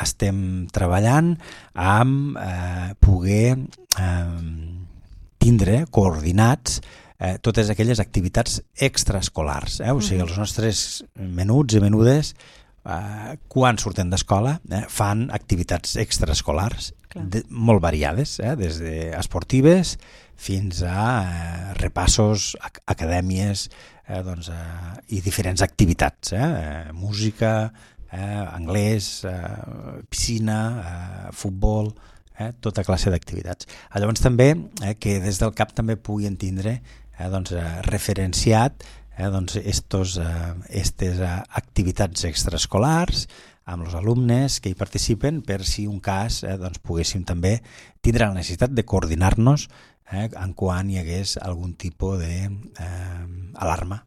estem treballant amb poder tindre coordinats totes aquelles activitats extraescolars. O sigui, els nostres menuts i menudes, quan surten d'escola, fan activitats extraescolars molt variades, des d'esportives fins a repassos, acadèmies i diferents activitats, música, anglès, piscina, futbol, tota classe d'activitats. Llavors també que des del CAP també puguin tindre referenciat aquestes activitats extraescolars amb els alumnes que hi participen, per si un cas poguéssim també tindre la necessitat de coordinar-nos en quan hi hagués algun tipus d'alarma